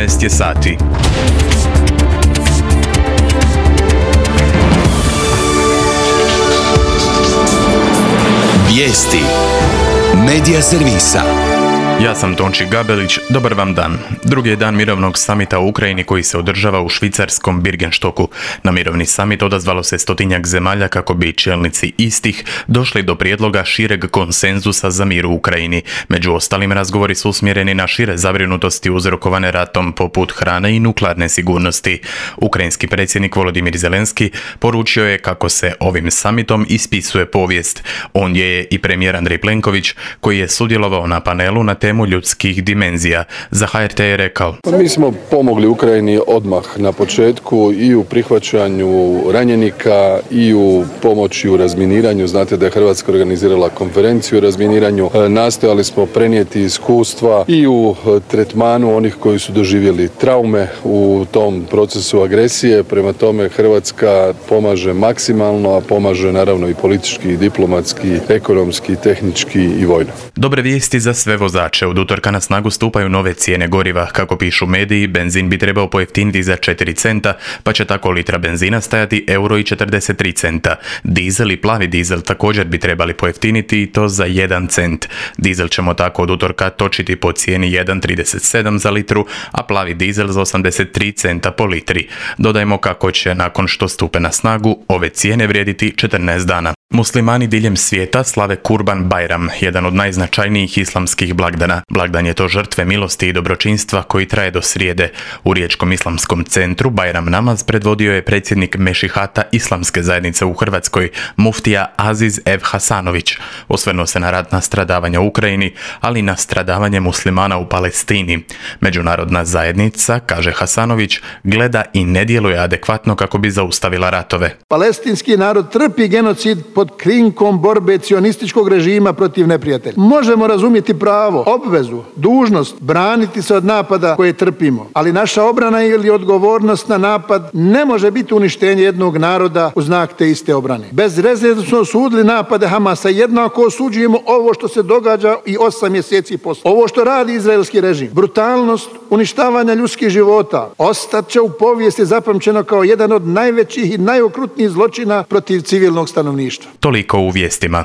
13 je sati. Vijesti Medija servisa. Ja sam Tonči Gabelić, dobar vam dan. Drugi je dan mirovnog samita u Ukrajini koji se održava u švicarskom Birgenstoku. Na mirovni samit odazvalo se 100-tinjak zemalja kako bi čelnici istih došli do prijedloga šireg konsenzusa za mir u Ukrajini. Među ostalim razgovori su usmjereni na šire zabrinutosti uzrokovane ratom poput hrane i nuklearne sigurnosti. Ukrajinski predsjednik Volodimir Zelenski poručio je kako se ovim samitom ispisuje povijest. On je i premijer Andrej Plenković koji je sudjelovao na panelu na temu ljudskih dimenzija. Za HRT je rekao: Mi smo pomogli Ukrajini odmah na početku i u prihvaćanju ranjenika i u pomoći u razminiranju. Znate da je Hrvatska organizirala konferenciju o razminiranju. Nastojali smo prenijeti iskustva i u tretmanu onih koji su doživjeli traume u tom procesu agresije. Prema tome Hrvatska pomaže maksimalno, a pomaže naravno i politički, i diplomatski, ekonomski, tehnički i vojno. Dobre vijesti za sve vozače. Od utorka na snagu stupaju nove cijene goriva. Kako pišu mediji, benzin bi trebao pojeftiniti za 4 centa, pa će tako litra benzina stajati €1,43. Dizel i plavi dizel također bi trebali pojeftiniti i to za 1 cent. Dizel ćemo tako od utorka točiti po cijeni 1,37 za litru, a plavi dizel za 83 centa po litri. Dodajmo kako će nakon što stupe na snagu ove cijene vrijediti 14 dana. Muslimani diljem svijeta slave Kurban Bajram, jedan od najznačajnijih islamskih blagdana. Blagdan je to žrtve milosti i dobročinstva koji traje do srijede. U Riječkom islamskom centru Bajram namaz predvodio je predsjednik Mešihata Islamske zajednice u Hrvatskoj, muftija Aziz Ev Hasanović. Osvrnuo se na ratna stradavanja u Ukrajini, ali i na stradavanje muslimana u Palestini. Međunarodna zajednica, kaže Hasanović, gleda i ne djeluje adekvatno kako bi zaustavila ratove. Palestinski narod trpi genocid pod krinkom borbe cionističkog režima protiv neprijatelja. Možemo razumjeti pravo, obvezu, dužnost braniti se od napada koje trpimo, ali naša obrana ili odgovornost na napad ne može biti uništenje jednog naroda u znak te iste obrane. Bez rezerve smo osudili napade Hamasa, jednako osuđujemo ovo što se događa i 8 mjeseci poslije. Ovo što radi izraelski režim, brutalnost uništavanja ljudskih života, ostat će u povijesti zapamćeno kao jedan od najvećih i najokrutnijih zločina protiv civilnog stanovništva. Toliko u vijestima.